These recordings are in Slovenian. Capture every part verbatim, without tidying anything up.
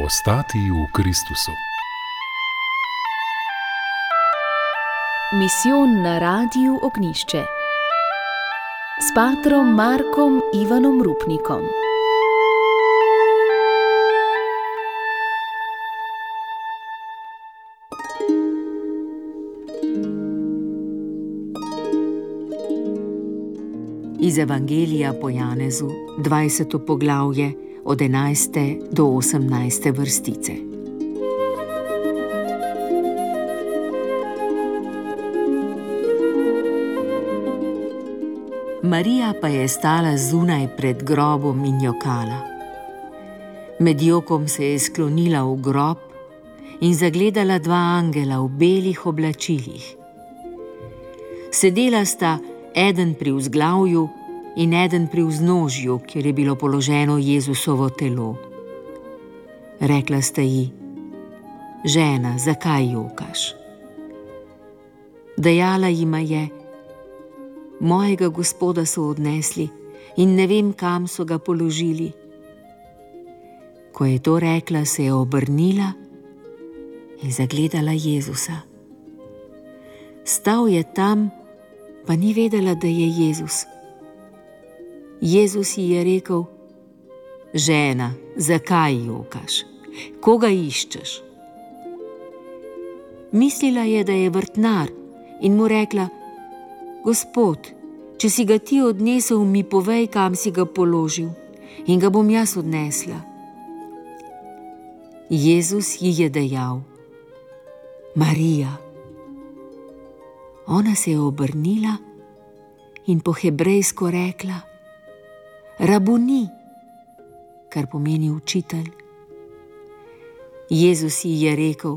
Ostati v Kristusu. Misijon na Radiu Ognjišče s patrom Markom Ivanom Rupnikom. Iz Evangelija po Janezu, dvajseto poglavje, od enajste do osemnajste vrstice. Marija pa je stala zunaj pred grobom in jokala. Med jokom se je sklonila v grob in zagledala dva angela v belih oblačilih. Sedela sta eden pri vzglavju in eden pri vznožju, kjer je bilo položeno Jezusovo telo. Rekla sta ji: žena, zakaj jokaš? Dejala jima je: mojega Gospoda so odnesli in ne vem, kam so ga položili. Ko je to rekla, se je obrnila in zagledala Jezusa. Stal je tam, pa ni vedela, da je Jezus. Jezus ji je rekel: žena, zakaj jokaš? Koga iščeš? Mislila je, da je vrtnar, in mu rekla: Gospod, če si ga ti odnesel, mi povej, kam si ga položil, in ga bom jaz odnesla. Jezus ji je dejal: Marija. Ona se je obrnila in po hebrejsko rekla: Rabuni, kar pomeni učitelj. Jezus ji je rekel: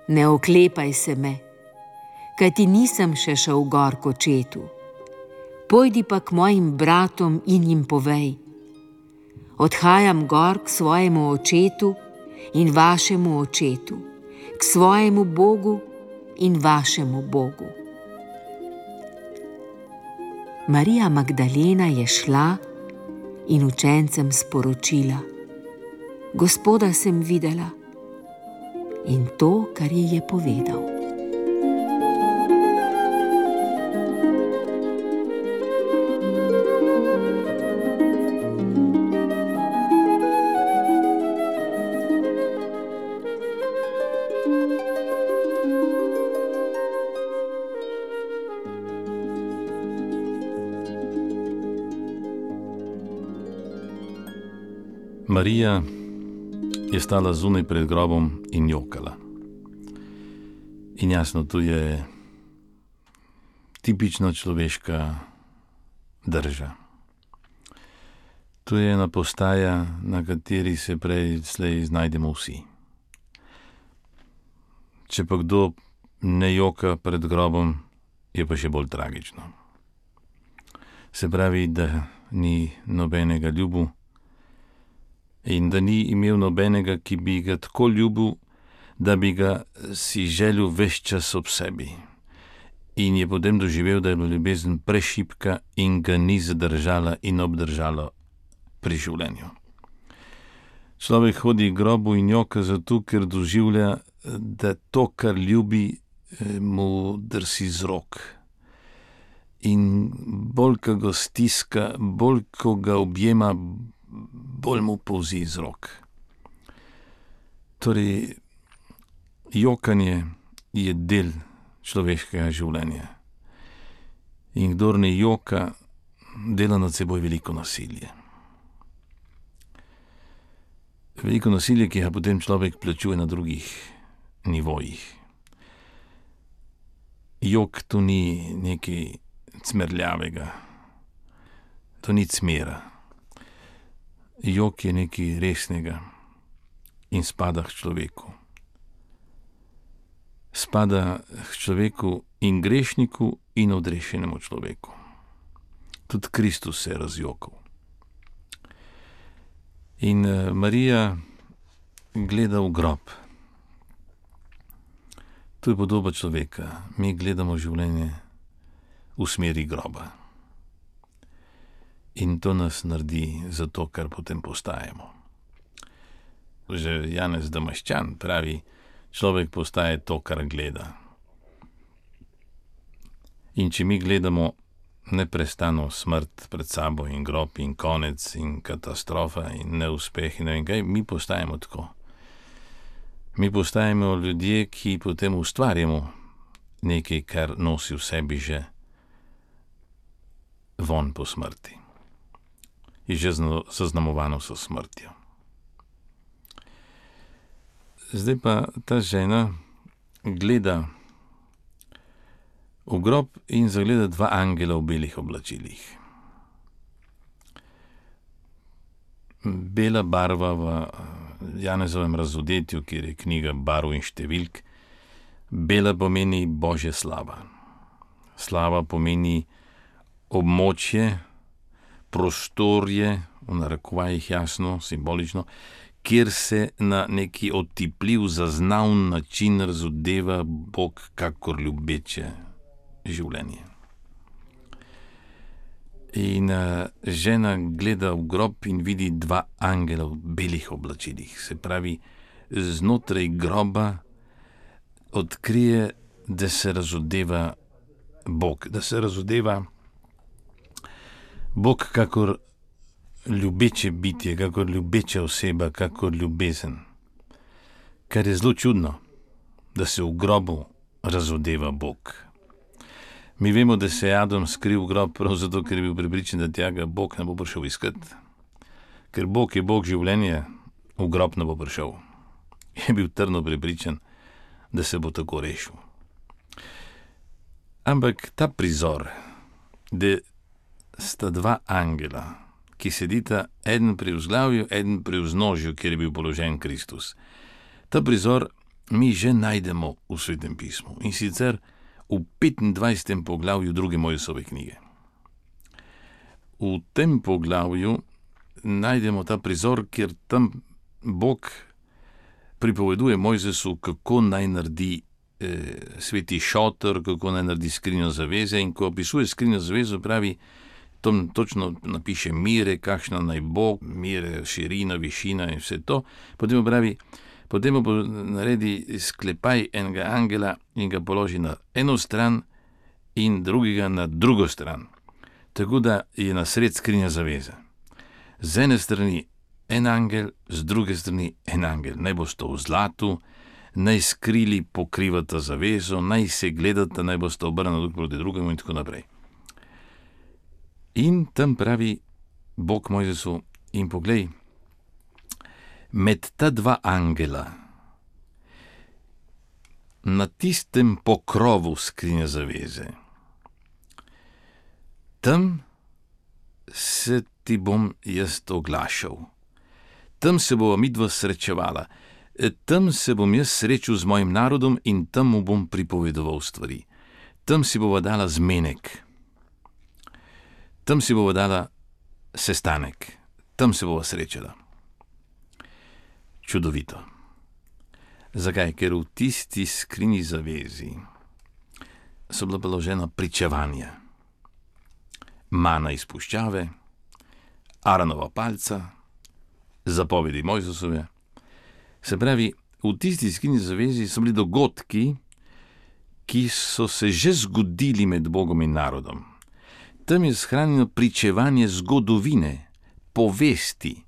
ne oklepaj se me, kajti nisem še šel gor k očetu. Pojdi pa k mojim bratom in jim povej: odhajam gor k svojemu očetu in vašemu očetu, k svojemu Bogu in vašemu Bogu. Marija Magdalena je šla in učencem sporočila: Gospoda sem videla, in to, kar ji je povedal. Marija je stala zunaj pred grobom in jokala. In jasno, tu je tipično človeška drža. Tu je ena postaja, na kateri se prej slej znajdemo vsi. Če pa kdo ne joka pred grobom, je pa še bolj tragično. Se pravi, da ni nobenega ljubu, in da ni imel nobenega, ki bi ga tako ljubil, da bi ga si želel ves čas ob sebi. In je potem doživel, da je bila ljubezen prešibka in ga ni zadržala in obdržala pri življenju. Človek hodi k grobu in joka zato, ker doživlja, da to, kar ljubi, mu drsi z rok. In bolj, ko ga stiska, bolj, ko ga objema, bolj mu polzi iz rok. Torej, jokanje je del človeškega življenja. In kdor ne joka, dela nad seboj veliko nasilje. Veliko nasilje, ki ga potem človek plačuje na drugih nivojih. Jok to ni nekaj cmerljavega. To ni cmera. Jok je nekaj resnega in spada k človeku. Spada k človeku in grešniku in odrešenemu človeku. Tudi Kristus se je razjokal. In Marija gleda v grob. To je podoba človeka. Mi gledamo življenje v smeri groba. In to nas naredi za to, kar potem postajamo. že Janez Damaščan pravi, človek postaje to, kar gleda. In če mi gledamo neprestano smrt pred sabo in grob in konec in katastrofa in neuspeh in ne vem kaj, mi postajamo tako. Mi postajamo ljudje, ki potem ustvarjamo nekaj, kar nosi v sebi že von po smrti. Je že zaznamovano so smrtjo. Zdaj pa ta žena gleda v grob in zagleda dva angela v belih oblačilih. Bela barva v Janezovem razodetju, kjer je knjiga barv in številk, bela pomeni Božja slava. Slava pomeni območje, prostorje, v narekovajih jasno, simbolično, kjer se na neki otipljiv, zaznavn način razodeva Bog kakor ljubeče življenje. In uh, žena gleda v grob in vidi dva angela v belih oblačilih. Se pravi, znotraj groba odkrije, da se razodeva Bog, da se razodeva Bog kakor ljubeče bitje, kakor ljubeča oseba, kakor ljubezen. Kar je zelo čudno, da se v grobu razodeva Bog. Mi vemo, da se je Adam skril v grob prav zato, ker je bil prepričan, da tja ga Bog ne bo prišel iskat. Ker Bog je Bog življenje, v grob ne bo prišel. Je bil trdno prepričan, da se bo tako rešil. Ampak ta prizor, da sta dva angela, ki sedita eden pri vzglavju, eden pri vznožju, kjer je bil položen Kristus. Ta prizor mi že najdemo v Svetem pismu, in sicer v petindvajsetem poglavju druge Mojsove knjige. V tem poglavju najdemo ta prizor, kjer tam Bog pripoveduje Mojzesu, kako naj naredi eh, sveti šotor, kako naj naredi skrinjo zaveze, in ko opisuje skrinjo zavezo, pravi, tam točno napiše mire, kakšna naj bo, mire, širina, višina in vse to. Potem pravi, potem bo naredi sklepaj enega angela in ga položi na eno stran in drugega na drugo stran. Tako da je na sred skrinja zaveze. Z ene strani en angel, z druge strani en angel. Naj bo sto v zlatu, naj skrili pokrivata zavezo, naj se gledata, naj bo sto obrnjena drug proti drugemu in tako naprej. In tam pravi Bog Mojzesu, in poglej, med ta dva angela, na tistem pokrovu skrinje zaveze, tam se ti bom jaz oglašal, tam se bova midva srečevala, tam se bom jaz srečal z mojim narodom in tam mu bom pripovedoval stvari. Tam si bova dala zmenek, tam si bova dala sestanek, tam se bova srečala. Čudovito. Zakaj? Ker v tisti skrinji zavezi so bila položena pričevanja. Mana iz puščave, Aronova palca, zapovedi Mojzesove. Se pravi, v tisti skrinji zavezi so bili dogodki, ki so se že zgodili med Bogom in narodom. Tam je shranjeno pričevanje zgodovine, povesti,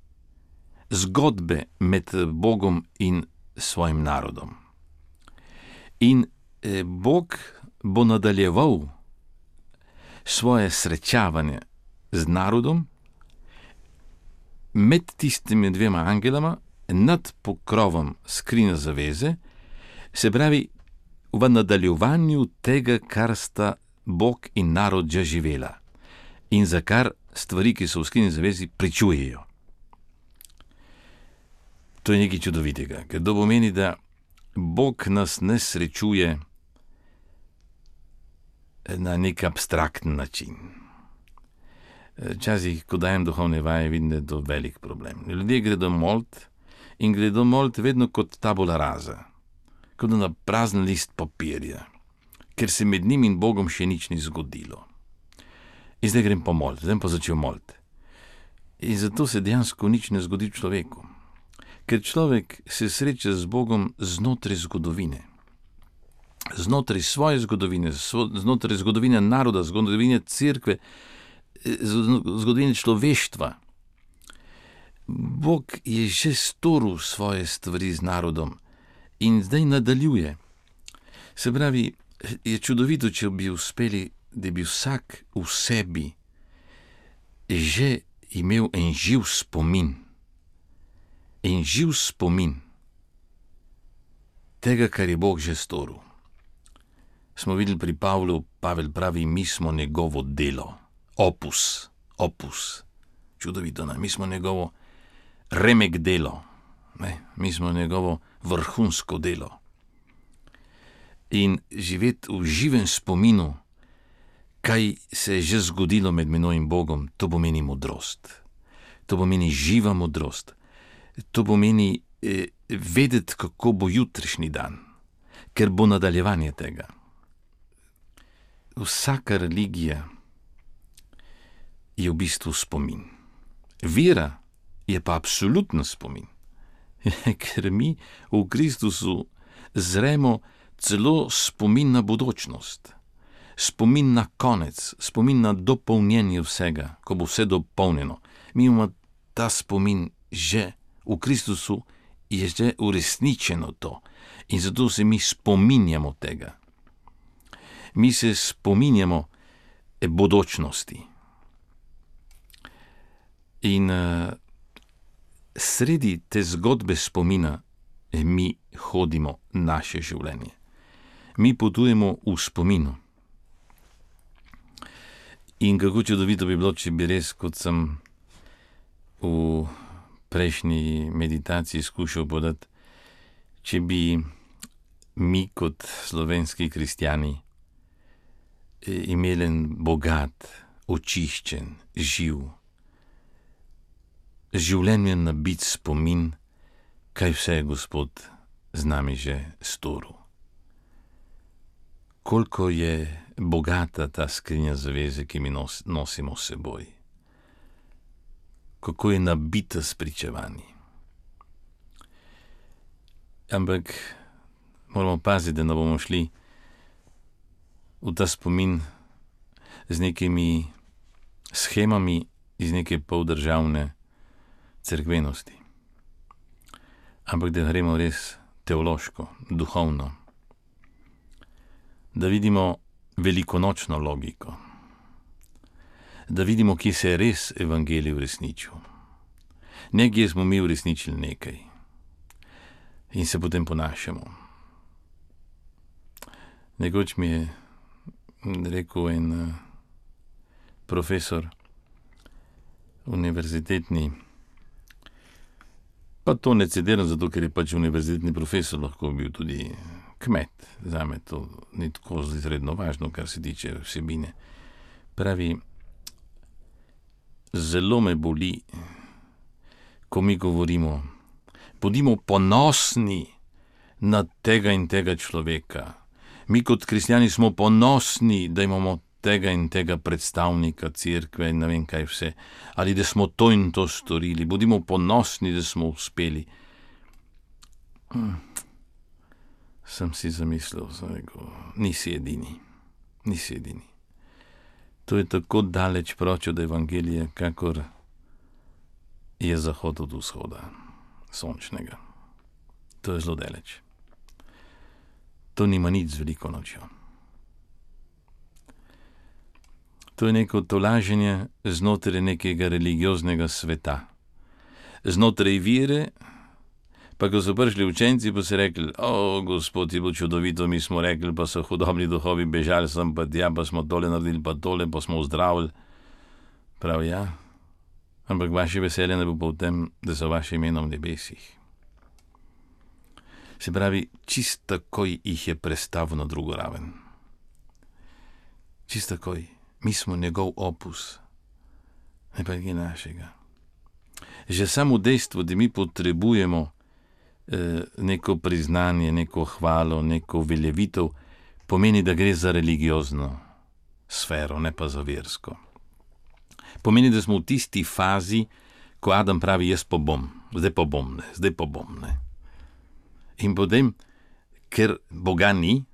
zgodbe med Bogom in svojim narodom. In eh, Bog bo nadaljeval svoje srečavanje z narodom med tistimi dvema angelama nad pokrovom skrinje zaveze, se pravi v nadaljevanju tega, kar sta Bog in narod že živela in za kar stvari, ki so v skrinji zavezi, pričujejo. To je nekaj čudovitega, ker to pomeni, da Bog nas ne srečuje na nek abstrakten način. Včasih, ko dajem duhovne vaje, vidim, da je to velik problem. Ljudje gredo molit in gredo molit vedno kot tabula rasa, kot na prazen list papirja, ker se med njim in Bogom še nič ni zgodilo. In zdaj grem pa molit, zdaj pa začel molit. In zato se dejansko nič ne zgodi človeku. ker človek se sreča z Bogom znotraj zgodovine. Znotraj svoje zgodovine, znotraj zgodovine naroda, zgodovine cerkve, zgodovine človeštva. Bog je že storil svoje stvari z narodom in zdaj nadaljuje. Se pravi, je čudovito, če bi uspeli, da bi vsak v sebi že imel en živ spomin. En živ spomin tega, kar je Bog že storil. Smo videli pri Pavlu, Pavel pravi, mi smo njegovo delo. Opus, opus. Čudovito, ne? Mi smo njegovo remek delo. Ne? Mi smo njegovo vrhunsko delo. In živeti v živem spominu, kaj se je že zgodilo med menoj in Bogom, to pomeni modrost. To pomeni živa modrost. To pomeni eh, vedeti, kako bo jutrišnji dan, ker bo nadaljevanje tega. Vsaka religija je v bistvu spomin. Vera je pa absoluten spomin, ker mi v Kristusu zremo celo spomin na bodočnost, spomin na konec, spomin na dopolnjenje vsega, ko bo vse dopolnjeno. Mi imamo ta spomin že v Kristusu, je že uresničeno to in zato se mi spominjamo tega. Mi se spominjamo bodočnosti. In uh, sredi te zgodbe spomina mi hodimo naše življenje. Mi potujemo v spominu. In kako čudovito bi bilo, če bi res, kot sem v prejšnji meditaciji skušal podati, če bi mi kot slovenski kristjani imeli en bogat, očiščen, živ, življenjem nabit spomin, kaj vse je Gospod z nami že storil. Koliko je bogata ta skrinja zaveze, ki mi nos, nosimo s seboj. Kako je nabita s pričevanji. Ampak moramo paziti, da ne bomo šli v ta spomin z nekimi shemami iz neke poldržavne cerkvenosti. Ampak da gremo res teološko, duhovno. Da vidimo velikonočno logiko. Da vidimo, kje se je res evangelij uresničil. Nekje smo mi uresničili nekaj. In se potem ponašamo. Nekoč mi je rekel en uh, profesor univerzitetni, pa to ne citiram zato, ker je pač univerzitetni profesor, lahko bil tudi kmet. Zame to ni tako izredno važno, kar se tiče vsebine. Pravi, zelo me boli, ko mi govorimo, bodimo ponosni na tega in tega človeka. Mi kot kristjani smo ponosni, da imamo tega in tega predstavnika cerkve in ne vem kaj vse, ali da smo to in to storili. Bodimo ponosni, da smo uspeli. Hmm. Sem si zamislil, sem rekel, nisi edini, nisi edini. To je tako daleč proč od evangelija, kakor je zahod od vzhoda, sončnega. To je zelo daleč. To nima nič z veliko nočjo. To je neko tolaženje znotraj nekega religioznega sveta. Znotraj vire, pa ko so prišli učenci, pa so rekli, o, Gospod, je bilo čudovito, mi smo rekli, pa so hudobni duhovi bežali sem, pa tja, pa smo tole naredili, pa tole, pa smo ozdravili. Prav, ja, ampak vaše veselje ne bo pa v tem, da so vaše imena v nebesih. Se pravi, čist takoj jih je prestavil na drugo raven. Čist takoj. Mi smo njegov opus, ne pa nekaj našega. Že samo dejstvo, da mi potrebujemo eh, neko priznanje, neko hvalo, neko veljavitev, pomeni, da gre za religiozno sfero, ne pa za versko. Pomeni, da smo v tisti fazi, ko Adam pravi, jaz pa bom, zdaj pa bom, ne, zdaj pa bom. Ne. In potem, ker Boga ni,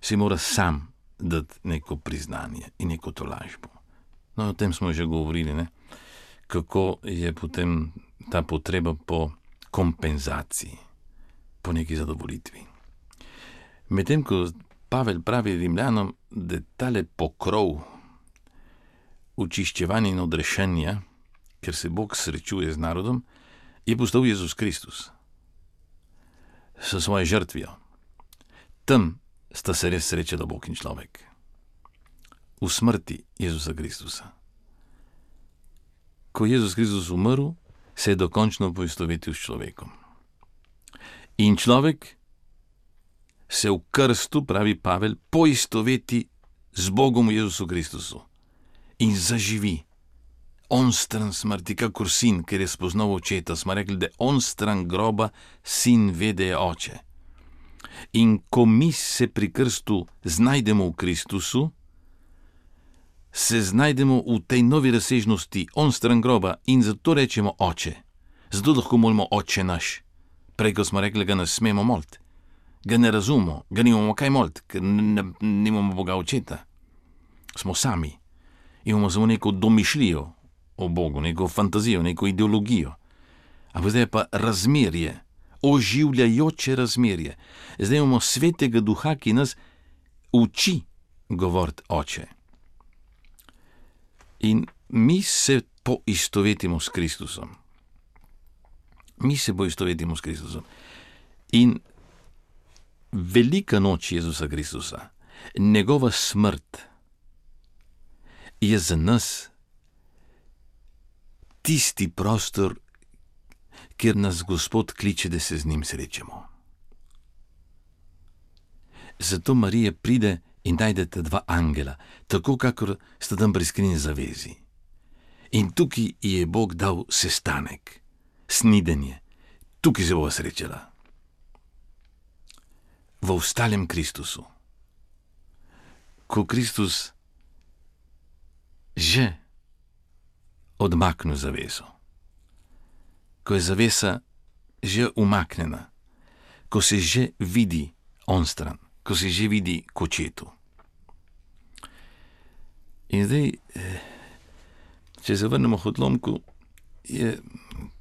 si mora sam dati neko priznanje in neko tolažbo. No, o tem smo že govorili, ne? Kako je potem ta potreba po kompenzaciji, po neki zadovolitvi. Medtem ko Pavel pravi Rimljanom, da tale pokrov očiščevanja in odrešenja, ker se Bog srečuje z narodom, je postal Jezus Kristus s svojo žrtvijo. Tam sta se res srečala Bog in človek. V smrti Jezusa Kristusa. Ko je Jezus Kristus umrl, se je dokončno poistovetil s človekom. In človek se v krstu, pravi Pavel, poistoveti z Bogom v Jezusu Kristusu in zaživi. On stran smrti, kakor sin, ker je spoznal očeta. Smo rekli, da on stran groba, sin ve, da je oče. In ko mi se pri krstu znajdemo v Kristusu, se znajdemo v tej novi razsežnosti, on stran groba, in zato rečemo oče. Zato lahko molimo oče naš. Prej, ko smo rekli, ga ne smemo moliti. Ga ne razumemo, ga nimamo kaj moliti, ker nimamo Boga očeta. Smo sami. Imamo samo neko domišljijo o Bogu, neko fantazijo, neko ideologijo. Ampak zdaj je pa razmerje, oživljajoče razmerje. Zdaj imamo svetega duha, ki nas uči govoriti oče. In mi se poistovetimo s Kristusom. Mi se poistovetimo s Kristusom. In velika noč Jezusa Kristusa, njegova smrt, je za nas tisti prostor, kjer nas Gospod kliče, da se z njim srečamo. Zato Marija pride in najde ta dva angela, tako kakor sta tam pri skrinji zavezi. In tukaj je Bog dal sestanek, snidenje. Tukaj se bova srečala. V vstalem Kristusu. Ko Kristus že odmaknil zaveso, ko je zavesa že umaknjena, ko se že vidi onstran, ko se že vidi k očetu. In zdaj, če se vrnemo k odlomku, je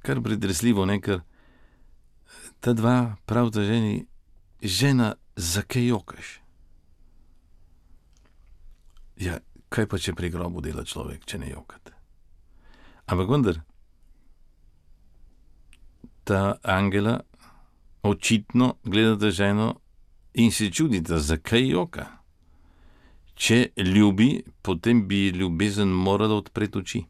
kar pretresljivo, ne, ker ta dva pravta ženi, žena, zakaj jokaš? Ja, kaj pa, če pri grobu dela človek, če ne jokate? Ampak vendar, ta angela očitno gledata ženo in se čudita, zakaj joka. Če ljubi, potem bi ljubezen morala odpreti oči.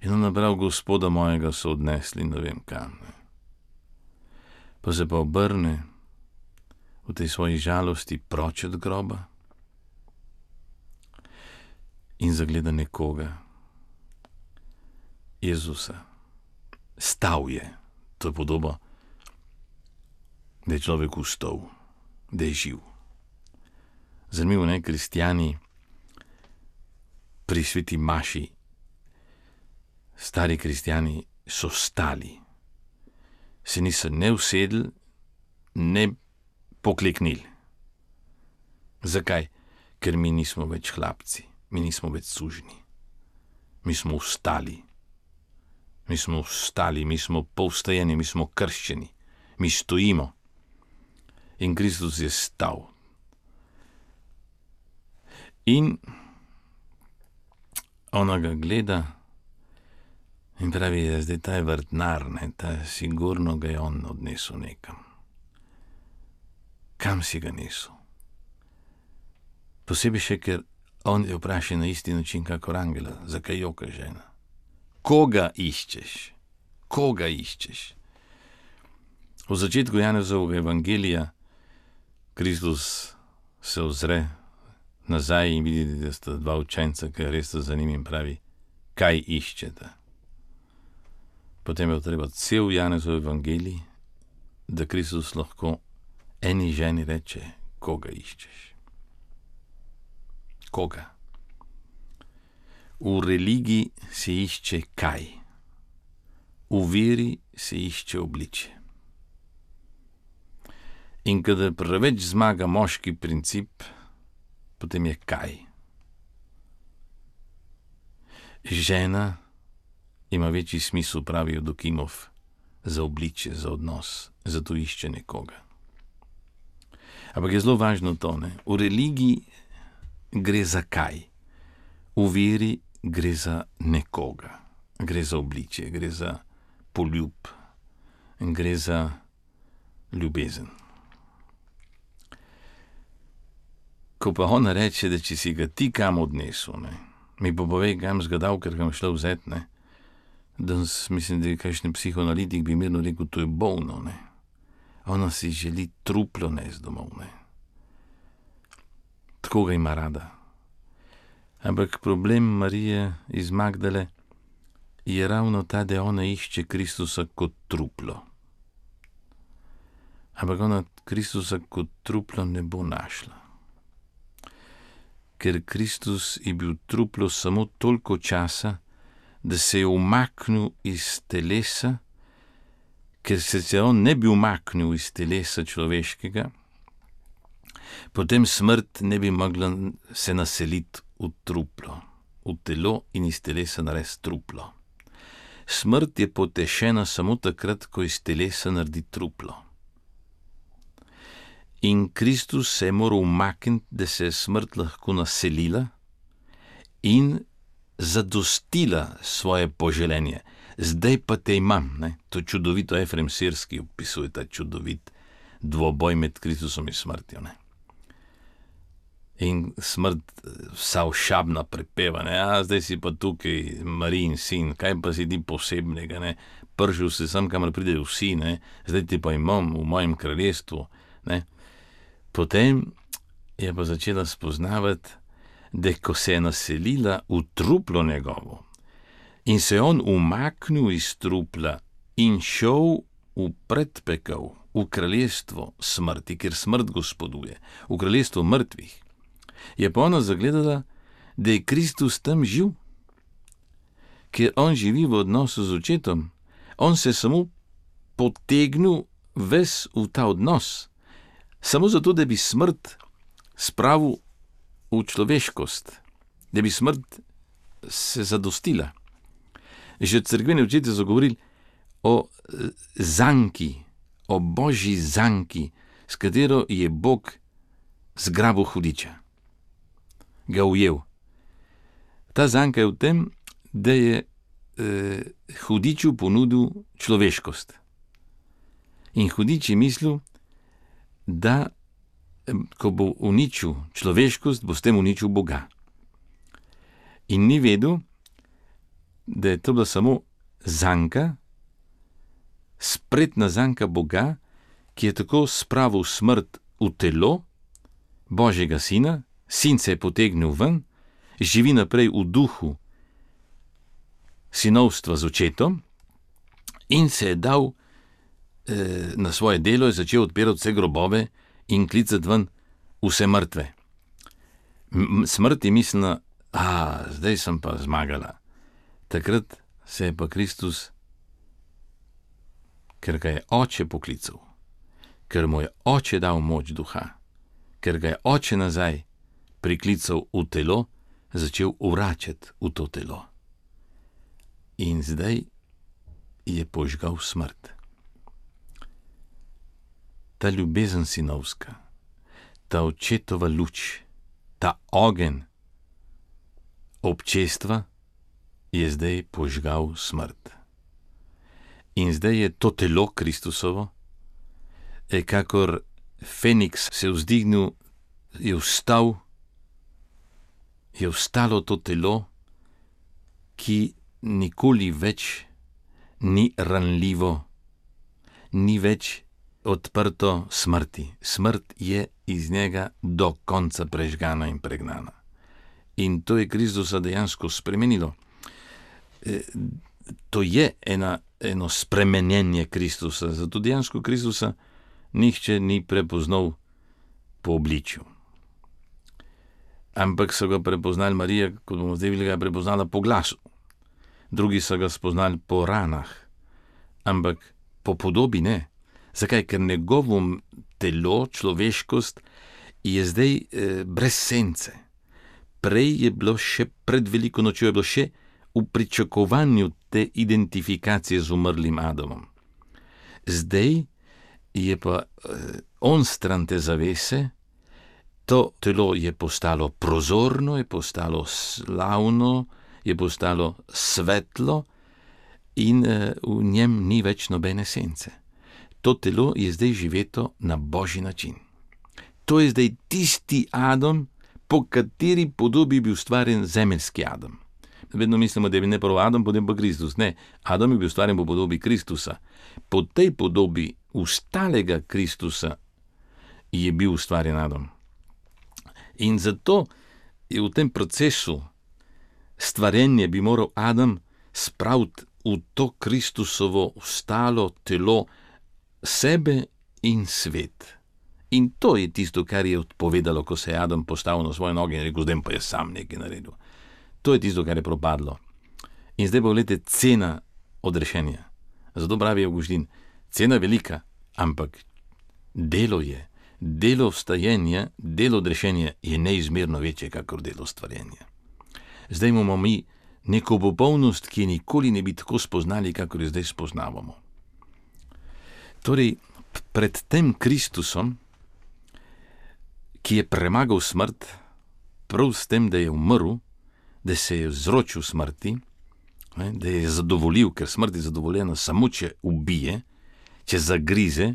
In ona prav, Gospoda mojega so odnesli, ne vem kam. Ne. Pa se pa obrne v tej svoji žalosti proč od groba in zagleda nekoga, Jezusa. Stal je, to je podoba, da je človek vstal, da je živ. Zanimivo, ne, kristjani pri sveti maši, stari kristjani so stali, se niso ne usedli, ne pokleknili. Zakaj? Ker mi nismo več hlapci, mi nismo več sužni. Mi smo vstali. Mi smo vstali, mi smo povstajeni, mi smo krščeni, mi stojimo. In Kristus je stal. In ona ga gleda in pravi, da zdaj ta je vrtnar, ne, ta sigurno ga je on odnesel nekam. Kam si ga nesel? Posebej še, ker on je vprašal na isti način, kakor angela, zakaj joka žena? Koga iščeš? Koga iščeš? V začetku Janezovega evangelija Kristus se ozre nazaj in vidi, da sta dva učenca, ki res sta za njim, in pravi, kaj iščete? Potem je treba cel Janezov evangelij, da Kristus lahko eni ženi reče, koga iščeš? Koga? V religiji se išče kaj. v veri se išče obliče. In kadar preveč zmaga moški princip, potem je kaj? Žena ima večji smisel, pravijo Dokimov, za obliče, za odnos, zato išče nekoga. Ampak je zelo važno to, ne? V religiji gre za kaj? V veri gre za nekoga, gre za obliče, gre za poljub, gre za ljubezen. Ko pa ona reče, da če si ga ti kam odnesel, ne, mi pa povej, kam zgadal, ker ga šla vzet, ne, danes mislim, da je kakšen psihoanalitik bi mirno rekel, to je bolno, ne. Ona si želi truplo nes domov, ne. Tako ga ima rada. Ampak problem Marije iz Magdale je ravno ta, da ona išče Kristusa kot truplo. Ampak ona Kristusa kot truplo ne bo našla. Ker Kristus je bil truplo samo toliko časa, da se je umaknil iz telesa, ker se se on ne bi umaknil iz telesa človeškega, potem smrt ne bi mogla se naseliti v truplo, v telo in iz telesa narediti truplo. Smrt je potešena samo takrat, ko iz telesa naredi truplo. In Kristus se je moral umakniti, da se je smrt lahko naselila in zadostila svoje poželenje. Zdaj pa te imam, ne? To čudovito Efrem Sirski opisuje ta čudovit dvoboj med Kristusom in smrtjo, ne? In smrt vsa ošabna prepeva, ne? A, zdaj si pa tukaj Marijin sin, kaj pa si ti posebnega, ne? Pržil se sem, kamor pridejo vsi, ne? Zdaj ti pa imam v mojem kraljestvu, ne? Potem je pa začela spoznavati, da ko se je naselila v truplo njegovo in se je on umaknil iz trupla in šel v predpekel, v kraljestvo smrti, ker smrt gospoduje, v kraljestvo mrtvih, je pa ona zagledala, da je Kristus tam živ, ker on živi v odnosu z očetom. On se samo potegnil ves v ta odnos, samo zato, da bi smrt spravil v človeškost, da bi smrt se zadostila. Že cerkveni očetje so govorili o zanki, o božji zanki, s katero je Bog zgrabil hudiča, ga ujel. Ta zanka je v tem, da je eh, hudiču ponudil človeškost. In hudič je mislil, da ko bo uničil človeškost, bo s tem uničil Boga. In ni vedel, da je to bila samo zanka, spretna zanka Boga, ki je tako spravil smrt v telo Božjega sina, sin se je potegnil ven, živi naprej v duhu sinovstva z očetom in se je dal eh, na svoje delo, je začel odpirati vse grobove in klicati ven vse mrtve. M- smrt je mislila, a, zdaj sem pa zmagala. Takrat se je pa Kristus, ker ga je oče poklical, ker mu je oče dal moč duha, ker ga je oče nazaj priklical v telo, začel vračati v to telo. In zdaj je požgal smrt. Ta ljubezen sinovska, ta očetova luč, ta ogenj občestva je zdaj požgal smrt. In zdaj je to telo Kristusovo, je kakor Feniks se vzdignil, je vstal, je vstalo to telo, ki nikoli več ni ranljivo, ni več odprto smrti. Smrt je iz njega do konca prežgana in pregnana. In to je Kristusa dejansko spremenilo. E, to je ena, eno spremenjenje Kristusa, zato dejansko Kristusa nihče ni prepoznal po obličju. Ampak so ga prepoznali, Marija, kot bomo zdaj videli, ga je prepoznala po glasu. Drugi so ga spoznali po ranah, ampak po podobi ne. Zakaj? Ker njegovo telo, človeškost, je zdaj eh, brez sence. Prej je bilo še pred veliko nočjo, je bilo še v pričakovanju te identifikacije z umrlim Adamom. Zdaj je pa eh, on stran te zavese, to telo je postalo prozorno, je postalo slavno, je postalo svetlo in eh, v njem ni več nobene sence. To telo je zdaj živeto na božji način. To je zdaj tisti Adam, po kateri podobi bi ustvarjen zemeljski Adam. Vedno mislimo, da je bil ne prvo Adam, potem pa Kristus. Ne, Adam je bil ustvarjen po podobi Kristusa. Po tej podobi ustalega Kristusa je bil ustvarjen Adam. In zato je v tem procesu stvarjenja bi moral Adam spraviti v to Kristusovo ustalo telo sebe in svet. In to je tisto, kar je odpovedalo, ko se je Adam postavil na svoje noge in rekel, zdaj pa je sam nekaj naredil. To je tisto, kar je propadlo. In zdaj pa vlete cena odrešenja. Zato pravi Avguštin, cena velika, ampak delo je. Delo vstajenja, delo odrešenja je neizmerno večje, kakor delo stvarjenja. Zdaj imamo mi neko popolnost, ki je nikoli ne bi tako spoznali, kakor jo zdaj spoznavamo. Torej, pred tem Kristusom, ki je premagal smrt, prav s tem, da je umrl, da se je vzročil smrti, da je zadovoljil, ker smrt je zadovoljena samo, če ubije, če zagrize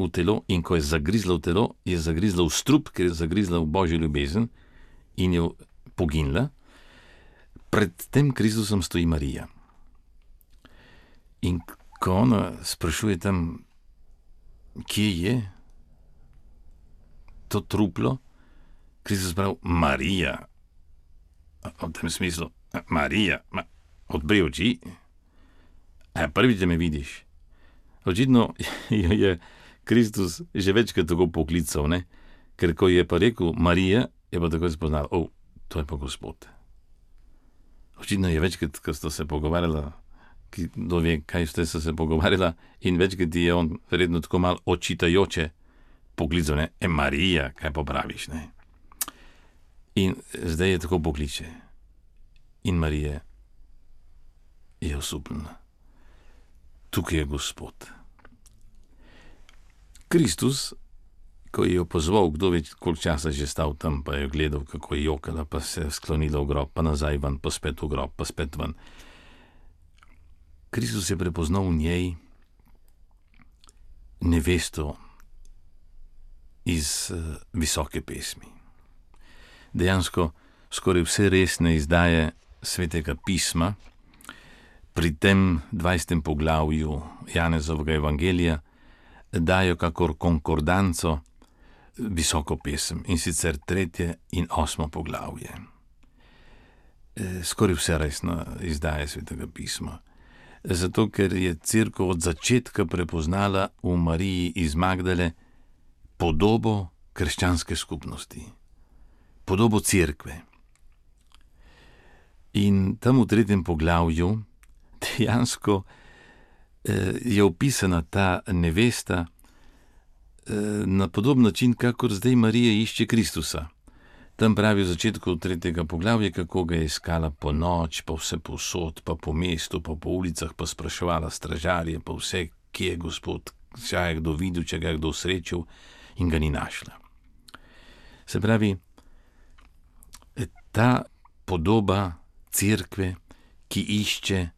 v telo, in ko je zagrizla v telo, je zagrizla v strup, ker je zagrizla v božjo ljubezen in je poginila. Pred tem Kristusom stoji Marija. In ko ona sprašuje tam, kje je to truplo, Kristus pravi, Marija. V tem smislu, Marija, ma, odpri oči, a prvič, da me vidiš. Očitno jo je Kristus že večkrat tako poklical, ne? Ker ko je pa rekel Marija, je pa tako spoznal, o, to je pa Gospod. Očitno je večkrat, ko sta se pogovarjala, kdo ve, kaj ste se pogovarjala, in večkrat je on verjetno tako malo očitajoče poklical, ne, e Marija, kaj pa praviš, ne. In zdaj je tako pokliče. In Marija je osupljena. Tukaj je Gospod. Kristus, ko je jo pozval, kdo ve, koliko časa že stal tam, pa je gledal, kako je jokala, pa se je sklonila v grob, pa nazaj ven, pa spet v grob, pa spet ven. Kristus je prepoznal v njej nevesto iz uh, visoke pesmi. Dejansko skoraj vse resne izdaje Svetega pisma pri tem dvajsetem poglavju Janezovega evangelija dajo kakor konkordanco visoko pesem, in sicer tretje in osmo poglavje. E, skoraj vse resno izdaje Svetega pisma. Zato, ker je cerkev od začetka prepoznala v Mariji iz Magdale podobo krščanske skupnosti, podobo cerkve. In tam v tretjem poglavju dejansko eh, je opisana ta nevesta eh, na podoben način, kakor zdaj Marija išče Kristusa. Tam pravi v začetku tretjega poglavja, kako ga je iskala po noč, pa vse povsod, pa po mestu, pa po ulicah, pa spraševala stražarje, pa vse, kje je Gospod, če je kdo videl, če ga je kdo srečal, in ga ni našla. Se pravi, ta podoba cerkve, ki išče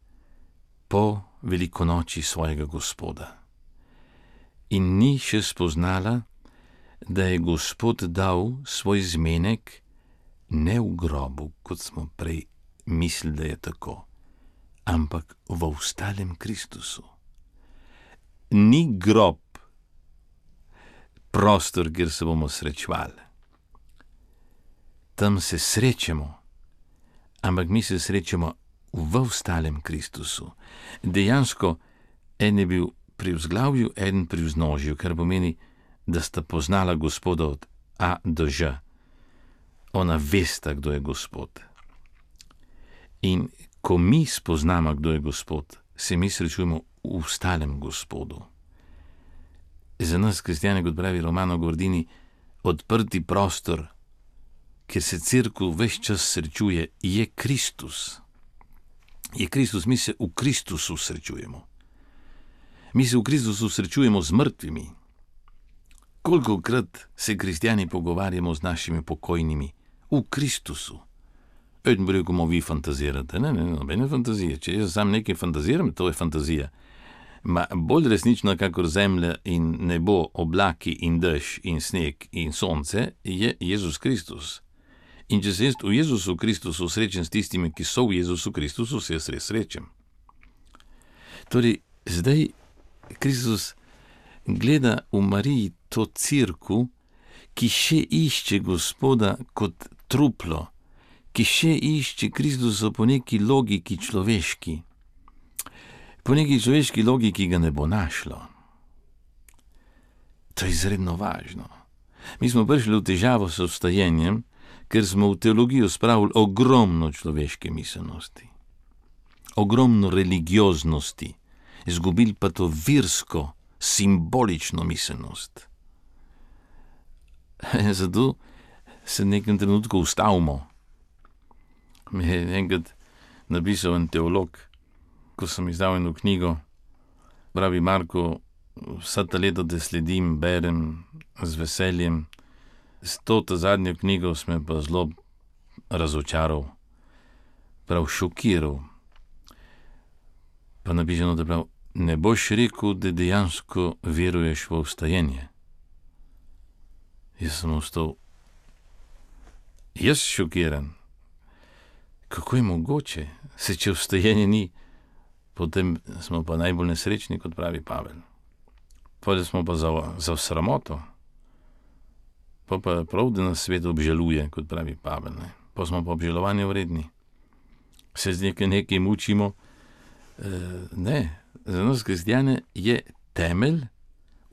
po velikonoči svojega Gospoda. In ni še spoznala, da je Gospod dal svoj zmenek ne v grobu, kot smo prej mislili, da je tako, ampak v vstalem Kristusu. Ni grob prostor, kjer se bomo srečevali. Tam se srečemo, ampak mi se srečemo v vstalem Kristusu. Dejansko en je bil pri vzglavju, en pri vznožju, kar pomeni, da sta poznala Gospoda od A do Ž. Ona vesta, kdo je Gospod. In ko mi spoznamo, kdo je Gospod, se mi srečujemo v stalem Gospodu. Za nas, kristjane, kot pravi Romano Guardini, odprti prostor, kjer se cerkev ves čas srečuje, je Kristus. Je Kristus, mi se v Kristusu srečujemo. Mi se v Kristusu srečujemo z mrtvimi. Kolikokrat se kristjani pogovarjamo z našimi pokojnimi v Kristusu. Eden bi rekel, vi fantazirate. Ne, ne, nobene fantazije. Če jaz sam nekaj fantaziram, to je fantazija. Ma bolj resnično, kakor zemlja in nebo, oblaki in dež in sneg in sonce, je Jezus Kristus. In če se jaz v Jezusu Kristusu srečem s tistimi, ki so v Jezusu Kristusu, se jaz res srečem. Torej, zdaj Kristus gleda v Mariji to cerkev, ki še išče Gospoda kot truplo, ki še išče Kristusa po neki logiki človeški, po neki človeški logiki ga ne bo našlo. To je izredno važno. Mi smo prišli v težavo s vstajenjem, ker smo v teologijo spravili ogromno človeške miselnosti, ogromno religioznosti, izgubili pa to virsko, simbolično miselnost. Zato se v nekem trenutku ustavimo. Mi je enkrat napisal en teolog, ko sem izdal eno knjigo, pravi: Marko, vsa ta leta te sledim, berem z veseljem, s to ta zadnjo knjigo sem pa zelo razočaral, prav šokiral. Pa napišeno, da prav, ne boš rekel, da dejansko veruješ v vstajenje. Jaz sem ostal, jaz šokiran. Kako je mogoče? Se če vstajenje ni, potem smo pa najbolj nesrečni, kot pravi Pavel. Potem smo pa za, za sramoto. Pa pa prav, da nas svet obžaluje, kot pravi Pavel. Ne? Pa smo pa obžalovanja vredni. Se z nekaj nekaj mučimo. E, ne, za nas kristjane je temelj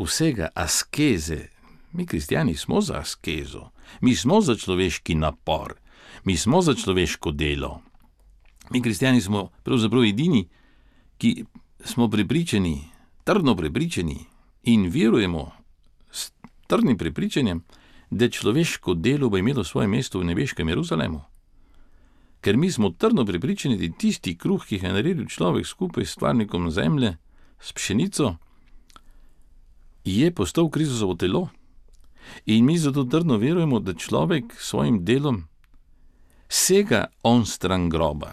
vsega askeze. Mi kristjani smo za askezo. Mi smo za človeški napor. Mi smo za človeško delo. Mi kristjani smo pravzaprav edini, ki smo prepričani, trdno prepričani in verujemo s trdnim prepričanjem, da človeško delo bo imelo svoje mesto v nebeškem Jeruzalemu. Ker mi smo trdno prepričani, da tisti kruh, ki ga je naredil človek skupaj s stvarnikom zemlje, s pšenico, je postal Kristusovo telo. In mi zato trdno verujemo, da človek s svojim delom sega on stran groba.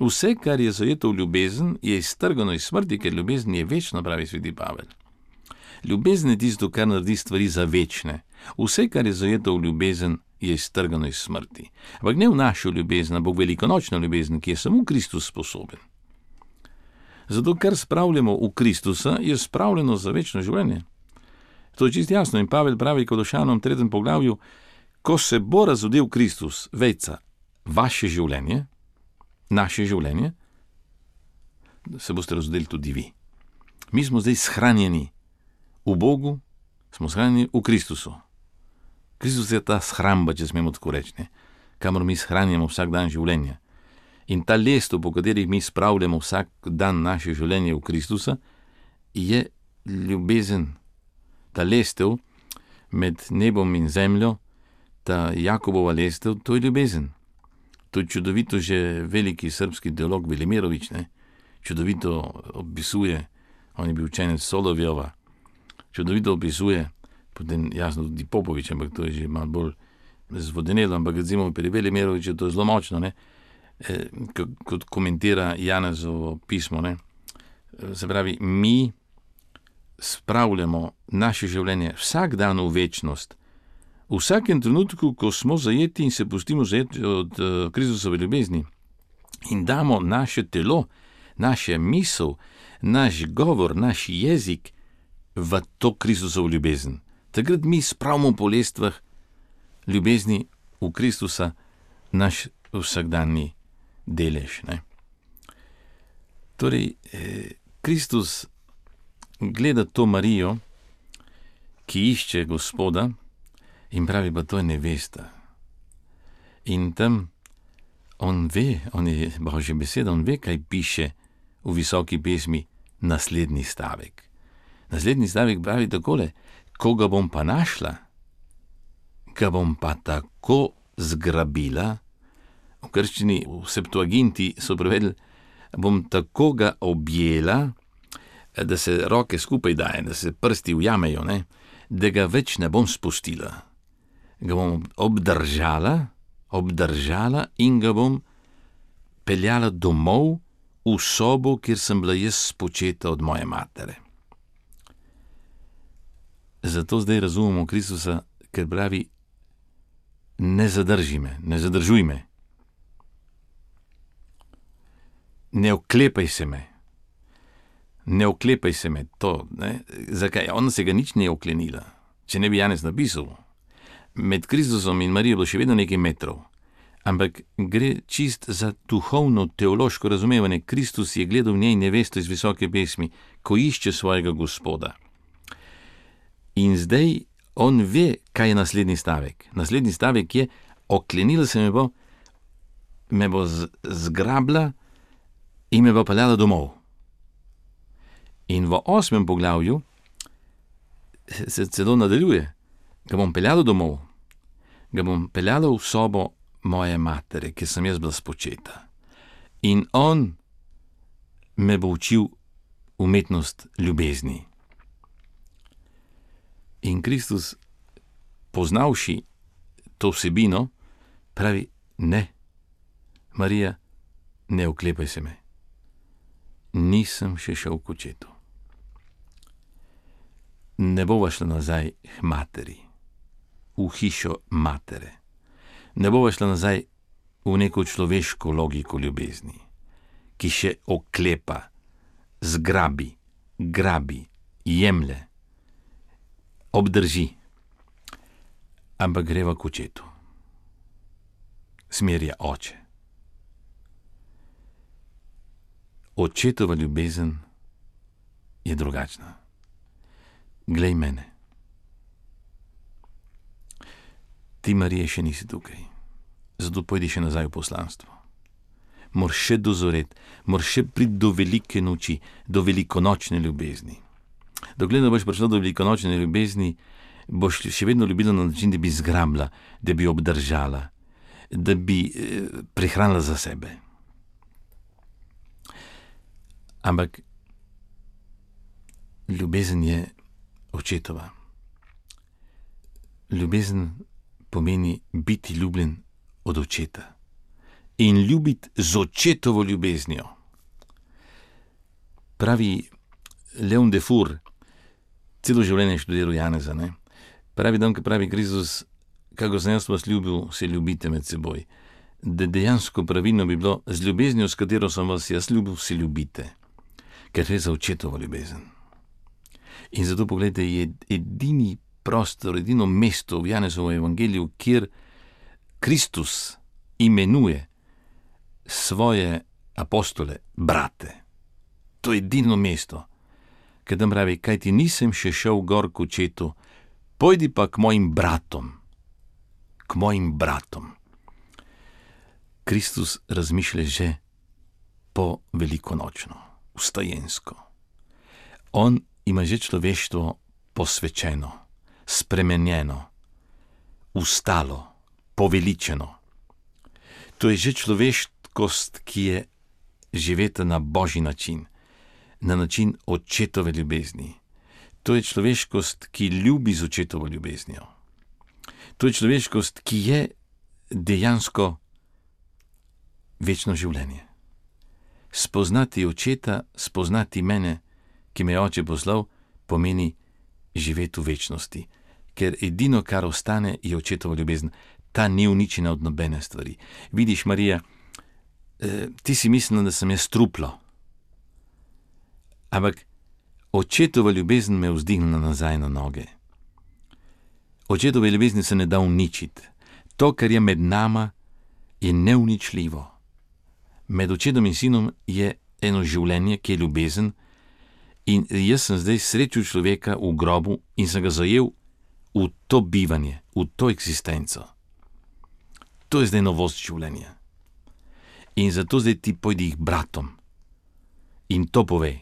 Vse, kar je zajeto v ljubezen, je iztrgano iz smrti, ker ljubezen je večna, pravi sveti Pavel. Ljubezen je tisto, kar naredi stvari za večne. Vse, kar je zajeto v ljubezen, je iztrgano iz smrti. Ampak ne v našo ljubezen, ampak v velikonočno ljubezen, ki je samo Kristus sposoben. Zato, kar spravljamo v Kristusa, je spravljeno za večno življenje. To je čisto jasno in Pavel pravi Kološanom v tretjem poglavju, ko se bo razodel Kristus, vejca, vaše življenje, naše življenje, se boste razodeli tudi vi. Mi smo zdaj shranjeni v Bogu, smo shranjeni v Kristusu. Kristus je ta shramba, če smemo tako reči, ne? Kamor mi shranjamo vsak dan življenja. In ta lestev, po katerih mi spravljamo vsak dan naše življenje v Kristusa, je ljubezen. Ta lestev med nebom in zemljo, ta Jakobova lestev, to je ljubezen. To je čudovito že veliki srbski teolog Velimirovič, ne? Čudovito opisuje, on je bil učenec Solovjova, čudovito opisuje, potem jasno tudi Popovič, ampak to je že malo bolj zvodenelo, ampak recimo pri Velimiroviču to je zelo močno, ne? E, kot komentira Janezovo pismo, ne? Se pravi, mi spravljamo naše življenje vsak dan v večnost, v vsakem trenutku, ko smo zajeti in se pustimo zajeti od uh, Kristusove ljubezni in damo naše telo, naše misel, naš govor, naš jezik v to Kristusovo ljubezen. Takrat mi spravimo po lestvah ljubezni v Kristusa naš vsakdanji delež. Ne? Torej, eh, Kristus gleda to Marijo, ki išče Gospoda in pravi, pa to je nevesta. In tam on ve, on je Božja beseda, on ve, kaj piše v visoki pesmi naslednji stavek. Naslednji stavek pravi takole: ko ga bom pa našla, ga bom pa tako zgrabila, v krščini, v Septuaginti so prevedli, bom tako ga objela, da se roke skupaj daje, da se prsti ujamejo, ne? Da ga več ne bom spustila. Ga bom obdržala, obdržala in ga bom peljala domov v sobo, kjer sem bila jaz spočeta od moje matere. Zato zdaj razumemo Kristusa, ker pravi: ne zadrži me, ne zadržuj me. Ne oklepaj se me. Ne oklepaj se me, to, ne? Zakaj? Ona se ga nič ne je oklenila. Če ne bi Janez napisal, med Kristusom in Marijo bilo še vedno nekaj metrov. Ampak gre čist za duhovno, teološko razumevanje. Kristus je gledal v njej nevesto iz visoke pesmi, ko išče svojega Gospoda. In zdaj on ve, kaj je naslednji stavek. Naslednji stavek je: oklenila se me bo, me bo zgrabla in me bo peljala domov. In v osmem poglavju se celo nadaljuje: ga bom peljala domov, ga bom peljala v sobo moje matere, kjer sem jaz bila spočeta. In on me bo učil umetnost ljubezni. In Kristus, poznavši to vsebino, pravi: ne, Marija, ne oklepaj se me. Nisem še šel k očetu. Ne bova šla nazaj k materi, v hišo matere. Ne bova šla nazaj v neko človeško logiko ljubezni, ki še oklepa, zgrabi, grabi, jemlje, obdrži. Ampak greva k očetu. Smer je oče. Očetova ljubezen je drugačna. Glej mene. Ti, Marija, še nisi tukaj, zato pojdi še nazaj v poslanstvo. Moraš še dozoreti, moraš še priti do velike noči, do velikonočne ljubezni. Dokler ne boš prišla do velikonočne ljubezni, boš še vedno ljubila na način, da bi zgrabila, da bi obdržala, da bi eh, prihranila za sebe. Ampak ljubezen je očetova. Ljubezen pomeni biti ljubljen od očeta in ljubiti z očetovo ljubeznijo. Pravi Leon Defour, celo življenje študiral Janeza, ne? Pravi dan, ko pravi Kristus: kako sem jaz vas ljubil, se ljubite med seboj. Da dejansko pravilno bi bilo: z ljubeznijo, s katero sem vas jaz ljubil, se ljubite. Ker gre za očetovo ljubezen. In zato, pogledajte, je edini prostor, edino mesto v Janezovem evangeliju, kjer Kristus imenuje svoje apostole brate. To je edino mesto, ker tam pravi: kaj ti nisem še šel gor k očetu, pojdi pa k mojim bratom. K mojim bratom. Kristus razmišlja že po velikonočno, vstajensko. On ima že človeštvo posvečeno, spremenjeno, ustalo, poveličeno. To je že človeškost, ki je živeta na božji način, na način očetove ljubezni. To je človeškost, ki ljubi z očetovo ljubeznijo. To je človeškost, ki je dejansko večno življenje. Spoznati očeta, spoznati mene, ki me je oče poslal, pomeni živeti v večnosti. Ker edino, kar ostane, je očetova ljubezen. Ta ni uničena od nobene stvari. Vidiš, Marija, eh, ti si mislila, da sem jaz truplo. Ampak očetova ljubezen me je vzdignila nazaj na noge. Očetove ljubezni se ne da uničiti. To, kar je med nama, je neuničljivo. Med očetom in sinom je eno življenje, ki je ljubezen, in jaz sem zdaj srečal človeka v grobu in sem ga zajel v to bivanje, v to eksistenco. To je zdaj novost življenja. In zato zdaj ti pojdi k bratom in to pove.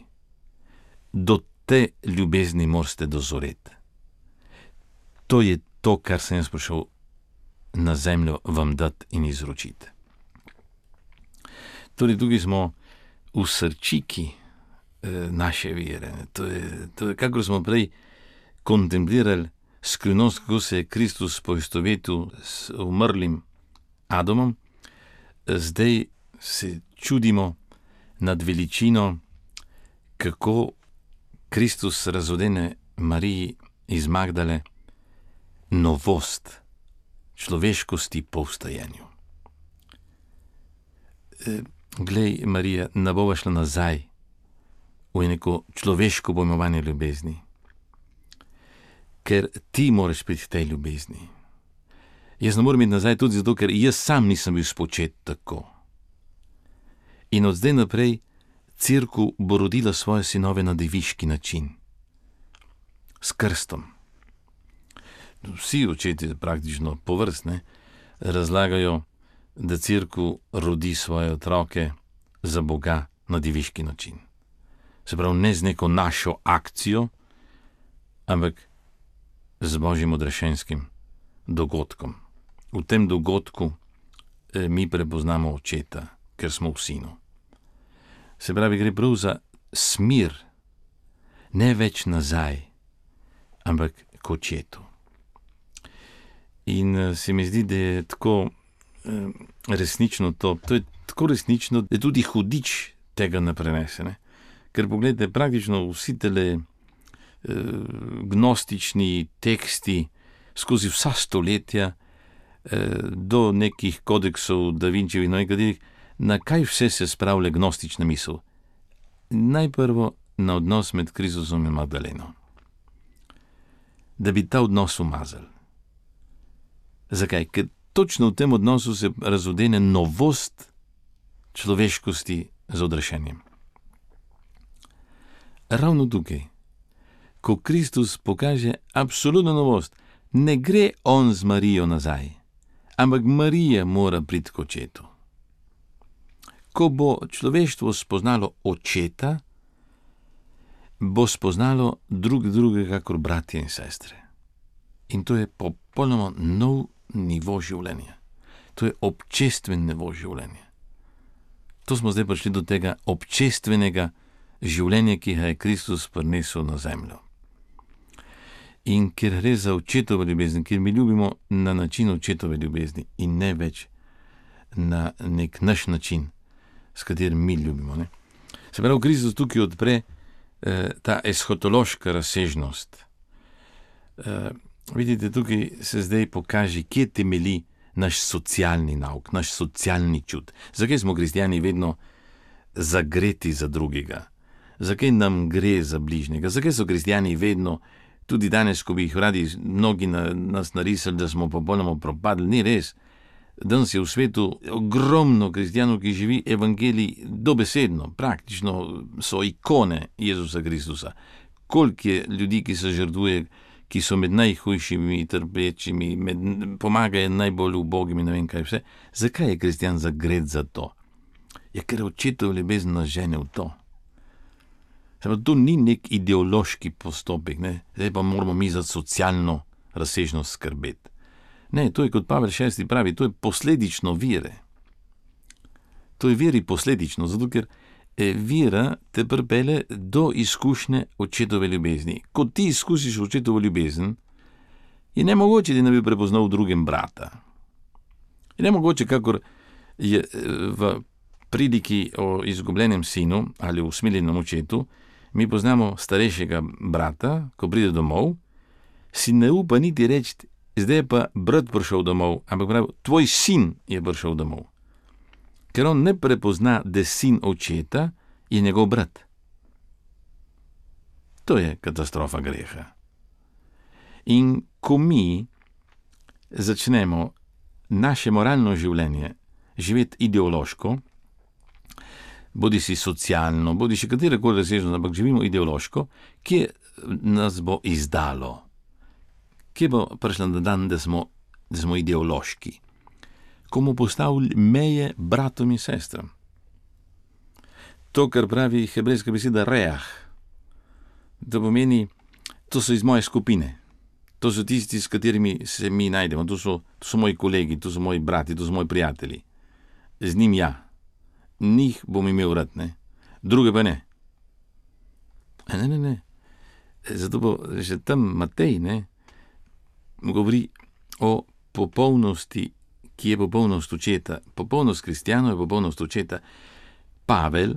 Do te ljubezni morate dozoreti. To je to, kar sem jaz prišel na zemljo vam dati in izročiti. Torej, tukaj smo v srčiki eh, naše vere. To je, to je, kako smo prej kontemplirali skrivnost, kako se je Kristus poistovetil s umrlim Adamom, zdaj se čudimo nad veličino, kako Kristus razodene Mariji iz Magdale novost človeškosti po vstajenju. E, glej, Marija, ne bova šla nazaj v neko človeško pojmovanje ljubezni, ker ti moraš priti tej ljubezni. Jaz ne morem iti nazaj tudi zato, ker jaz sam nisem bil spočet tako. In od zdaj naprej Cerkev bo rodila svoje sinove na deviški način, s krstom. Vsi očeti, praktično povrstne, razlagajo, da Cerkev rodi svoje otroke za Boga na deviški način. Se pravi, ne z neko našo akcijo, ampak z Božjim odrešenskim dogodkom. V tem dogodku eh, mi prepoznamo očeta, ker smo v sinu. Se pravi, gre prav za smir, ne več nazaj, ampak k očetu. In uh, se mi zdi, da je tako uh, resnično to, to je tako resnično, da tudi hudič tega ne prenese. Ne? Ker pogledajte, praktično vsi tele uh, gnostični teksti skozi vsa stoletja, uh, do nekih kodeksov Da Vinčevih, no nekaterih, na kaj vse se spravlja gnostična misel? Najprvo na odnos med Kristusom in Magdaleno. Da bi ta odnos umazali. Zakaj? Ker točno v tem odnosu se razodene novost človeškosti z odrešenjem. Ravno tukaj, ko Kristus pokaže absolutno novost, ne gre on z Marijo nazaj, ampak Marija mora priti k očetu. Ko bo človeštvo spoznalo očeta, bo spoznalo drug drugega kot bratje in sestre. In to je popolnoma nov nivo življenja. To je občestven nivo življenja. To smo zdaj prišli do tega občestvenega življenja, ki ga je Kristus prinesel na zemljo. In ker gre za očetovo ljubezen, ker mi ljubimo na način očetove ljubezni in ne več na nek naš način, s katerim mi ljubimo. Ne? Se pravi, Kristus tukaj odpre eh, ta eshotološka razsežnost. Eh, vidite, tukaj se zdaj pokaže, kje temelji naš socialni nauk, naš socialni čut. Zakaj smo kristjani vedno zagreti za drugega? Zakaj nam gre za bližnjega? Zakaj so kristjani vedno, tudi danes, ko bi jih radi mnogi na, nas narisali, da smo popolnoma propadli? Ni res. Danes je v svetu ogromno kristjanov, ki živi evangelij dobesedno, praktično so ikone Jezusa Kristusa. Koliko je ljudi, ki se žrtvuje, ki so med najhujšimi, trpečimi, med, pomagajo najbolj ubogim in ne vem kaj vse. Zakaj je kristjan zagret za to? Je, ker očetov ljubezen nas žene v to. Samo to ni nek ideološki postopek, ne? Zdaj pa moramo mi za socialno razsežnost skrbeti. Ne, to je, kot Pavel šesti pravi, to je posledično vire. To je veri posledično, zato ker vira te pripelje do izkušnje očetove ljubezni. Ko ti izkusiš očetovo ljubezen, je nemogoče, da ne bi prepoznal v drugem brata. Je nemogoče, kakor je v priliki o izgubljenem sinu ali o usmiljenem očetu, mi poznamo starejšega brata, ko pride domov, si ne upa niti reči, zdaj je pa brat prišel domov, ampak pravi, tvoj sin je prišel domov. Ker on ne prepozna, da sin očeta je njegov brat. To je katastrofa greha. In ko mi začnemo naše moralno življenje živeti ideološko, bodi si socialno, bodi si katerakoli razsežnost, ampak živimo ideološko, kje nas bo izdalo? Kje bo prišla na dan, da smo, da smo ideološki? Ko bomo postavili meje bratom in sestram. to, kar pravi hebrejska beseda reah. To pomeni, to so iz moje skupine. To so tisti, s katerimi se mi najdemo. To so, to so moji kolegi, to so moji brati, to so moji prijatelji. Z njim ja. Njih bom imel rad, ne. Druge pa ne. Ne, ne, ne. Zato bo že tam Matej, ne, govori o popolnosti, ki je popolnost očeta. Popolnost kristjanov je popolnost očeta. Pavel,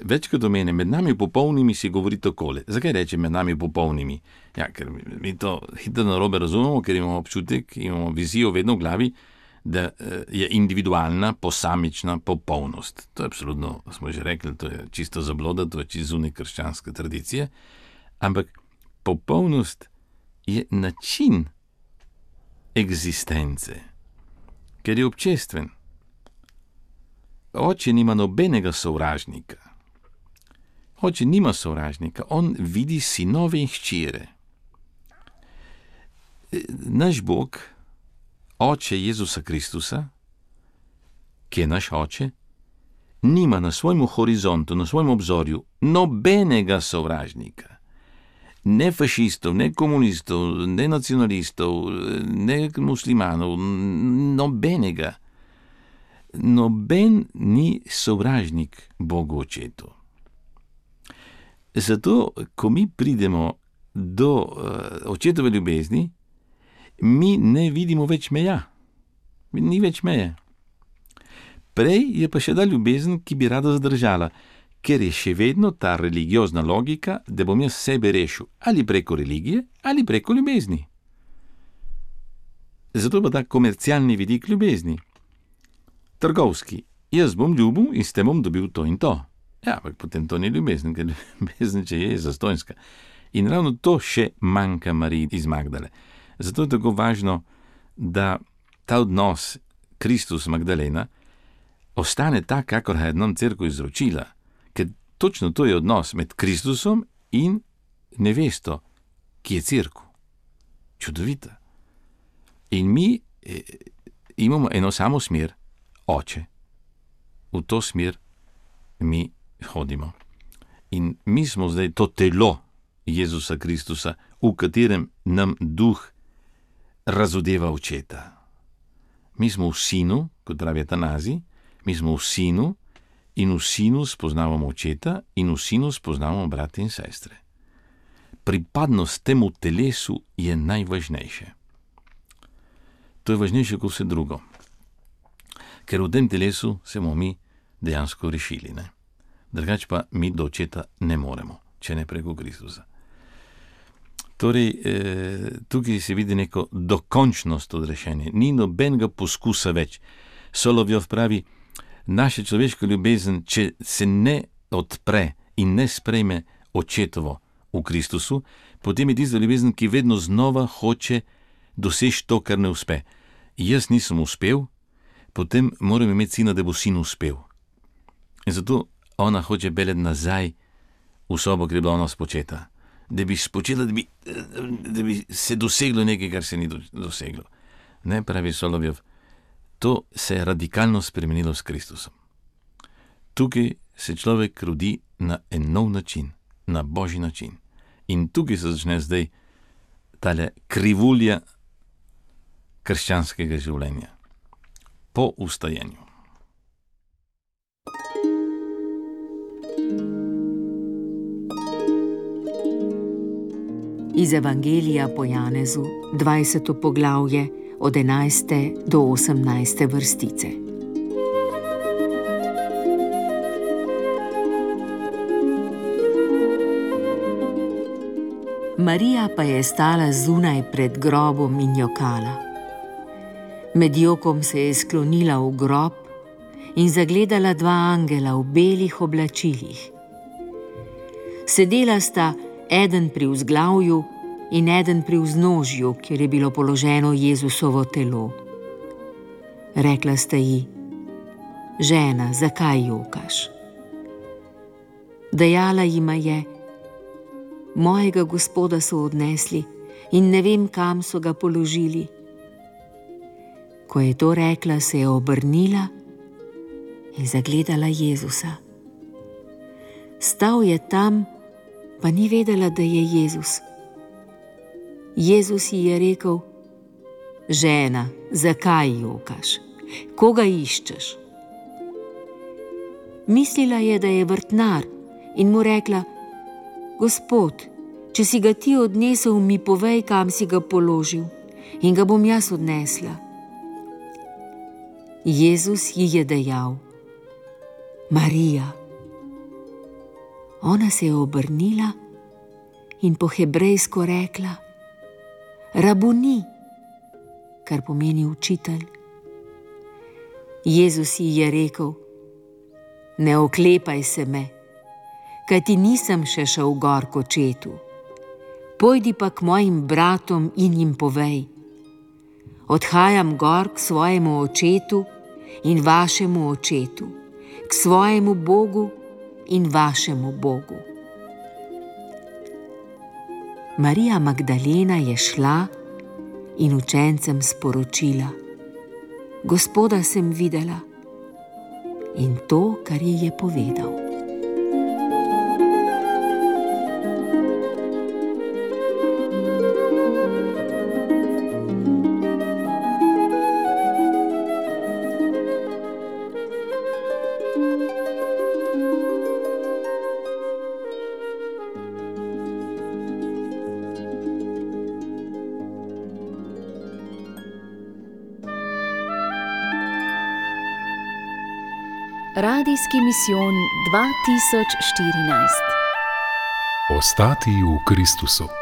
večkrat omene, med nami popolnimi si govori takole. Zakaj reče med nami popolnimi? Ja, ker mi to hitro narobe razumemo, ker imamo občutek, imamo vizijo vedno v glavi, da je individualna, posamična popolnost. To je absolutno, smo že rekli, to je čisto zabloda, to je čisto zunaj krščanske tradicije, ampak popolnost je način egzistence, ker je občestven. Oče nima nobenega sovražnika. Oče nima sovražnika, on vidi sinove in hčere. Naš Bog, Oče Jezusa Kristusa, ki je naš Oče, nima na svojem horizontu, na svojem obzorju nobenega sovražnika. Ne fašistov, ne komunistov, ne nacionalistov, ne muslimanov, nobenega. Noben ni sovražnik Bogu Očetu. Zato, ko mi pridemo do uh, očetove ljubezni, mi ne vidimo več meja. Ni več meje. Prej je pa še ta ljubezen, ki bi rada zdržala, ker je še vedno ta religiozna logika, da bom jaz sebe rešil ali preko religije ali preko ljubezni. Zato pa ta komercialni vidik ljubezni. Trgovski. Jaz bom ljubil in s tem bom dobil to in to. Ja, ampak potem to ni ljubezen, ker ljubezen, če je, je zastonjska. In ravno to še manjka Mariji iz Magdale. Zato je tako važno, da ta odnos Kristus-Magdalena ostane tak, kakor je nam cerkev izročila. Ker točno to je odnos med Kristusom in nevesto, ki je cerkev. Čudovita. In mi eh, imamo eno samo smer, Oče. V to smer mi hodimo. In mi smo zdaj to telo Jezusa Kristusa, v katerem nam duh razodeva očeta. Mi smo v sinu, kot pravi Atanazi, mi smo v sinu in v sinu spoznavamo očeta in v sinu spoznavamo brate in sestre. Pripadnost temu telesu je najvažnejše. To je važnejše kot vse drugo. Ker v tem telesu se bomo mi dejansko rešili, ne? Drugače pa mi do očeta ne moremo, če ne preko Kristusa. Torej, eh, tukaj se vidi neko dokončnost odrešenja. Ni nobenega poskusa več. Solovjov pravi, naša človeška ljubezen, če se ne odpre in ne sprejme očetovo v Kristusu, potem je tista ljubezen, ki vedno znova hoče doseči to, kar ne uspe. Jaz nisem uspel, potem moram imeti sina, da bo sin uspel. In zato ona hoče peljati nazaj v sobo, kjer je bila ona spočeta. Da bi spočela, da bi, da bi se doseglo nekaj, kar se ni doseglo. Ne, pravi Solovjov, to se je radikalno spremenilo s Kristusom. Tukaj se človek rodi na en nov način, na božji način. In tukaj se začne zdaj tale krivulja krščanskega življenja. Po ustajenju. Iz Evangelija po Janezu, dvajseto poglavje, od enajste do osemnajste vrstice. Marija pa je stala zunaj pred grobom in jokala. Med jokom se je sklonila v grob in zagledala dva angela v belih oblačilih. Sedela sta eden pri vzglavju in eden pri vznožju, kjer je bilo položeno Jezusovo telo. Rekla sta ji: žena, zakaj jokaš? Dejala jima je: mojega Gospoda so odnesli in ne vem, kam so ga položili. Ko je to rekla, se je obrnila in zagledala Jezusa. Stal je tam, pa ni vedela, da je Jezus. Jezus ji je rekel: žena, zakaj jokaš? Koga iščeš? Mislila je, da je vrtnar, in mu rekla: Gospod, če si ga ti odnesel, mi povej, kam si ga položil, in ga bom jaz odnesla. Jezus ji je dejal: Marija. Ona se je obrnila in po hebrejsko rekla: Rabuni, kar pomeni učitelj. Jezus ji je rekel: ne oklepaj se me, kajti nisem še šel gor k očetu. Pojdi pa k mojim bratom in jim povej: odhajam gor k svojemu očetu in vašemu očetu, k svojemu Bogu in vašemu Bogu. Marija Magdalena je šla in učencem sporočila: Gospoda sem videla, in to, kar ji je povedal. Radijski misijon dva tisoč štirinajst. Ostati v Kristusu.